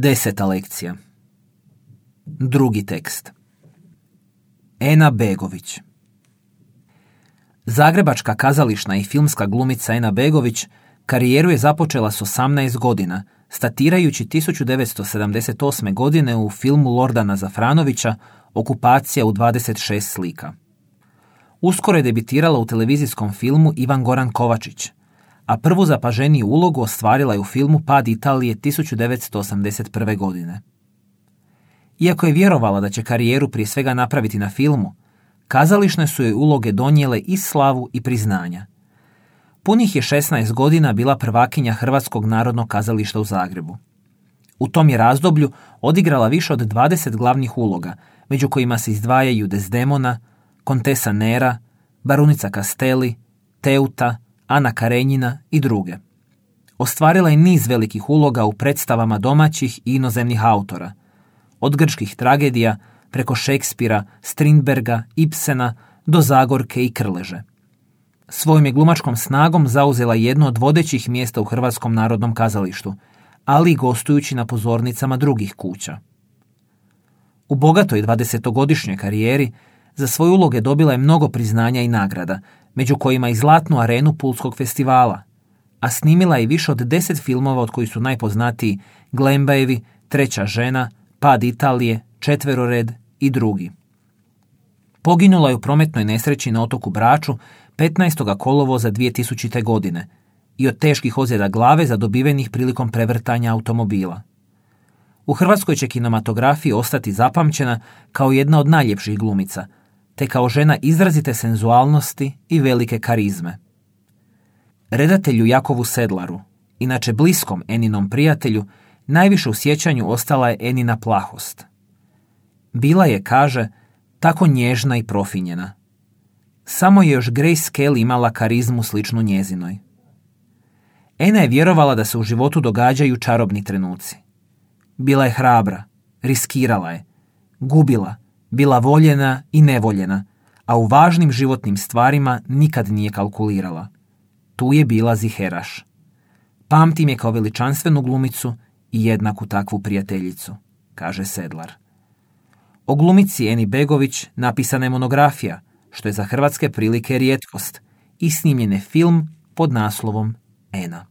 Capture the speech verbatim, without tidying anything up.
Deseta lekcija. Drugi tekst. Ena Begović. Zagrebačka kazališna i filmska glumica Ena Begović karijeru je započela s osamnaest godina, statirajući tisuću devetsto sedamdeset osme. godine u filmu Lordana Zafranovića Okupacija u dvadeset šest slika. Uskoro je debitirala u televizijskom filmu Ivan Goran Kovačić, a prvu zapaženiju ulogu ostvarila je u filmu Pad Italije tisuću devetsto osamdeset prve. godine. Iako je vjerovala da će karijeru prije svega napraviti na filmu, kazališne su joj uloge donijele i slavu i priznanja. Punih je šesnaest godina bila prvakinja Hrvatskog narodnog kazališta u Zagrebu. U tom je razdoblju odigrala više od dvadeset glavnih uloga, među kojima se izdvajaju Desdemona, Kontesa Nera, Barunica Castelli, Teuta, Ana Karenjina i druge. Ostvarila je niz velikih uloga u predstavama domaćih i inozemnih autora, od grčkih tragedija preko Šekspira, Strindberga, Ibsena do Zagorke i Krleže. Svojom je glumačkom snagom zauzela jedno od vodećih mjesta u Hrvatskom narodnom kazalištu, ali i gostujući na pozornicama drugih kuća. U bogatoj dvadesetogodišnjoj karijeri za svoje uloge dobila je mnogo priznanja i nagrada, među kojima i Zlatnu arenu Pulskog festivala, a snimila je više od deset filmova od kojih su najpoznatiji Glembajevi, Treća žena, Pad Italije, Četverored i drugi. Poginula je u prometnoj nesreći na otoku Braču petnaestog kolovoza dvije tisućite. godine i od teških ozljeda glave zadobivenih prilikom prevrtanja automobila. U hrvatskoj će kinematografiji ostati zapamćena kao jedna od najljepših glumica, te kao žena izrazite senzualnosti i velike karizme. Redatelju Jakovu Sedlaru, inače bliskom Eninom prijatelju, najviše u sjećanju ostala je Enina plahost. Bila je, kaže, tako nježna i profinjena. Samo je još Grace Kelly imala karizmu sličnu njezinoj. Ena je vjerovala da se u životu događaju čarobni trenuci. Bila je hrabra, riskirala je, gubila, bila voljena i nevoljena, a u važnim životnim stvarima nikad nije kalkulirala. Tu je bila ziheraš. Pamtim je kao veličanstvenu glumicu i jednaku takvu prijateljicu, kaže Sedlar. O glumici Eni Begović napisana je monografija, što je za hrvatske prilike rijetkost, i snimljen je film pod naslovom Ena.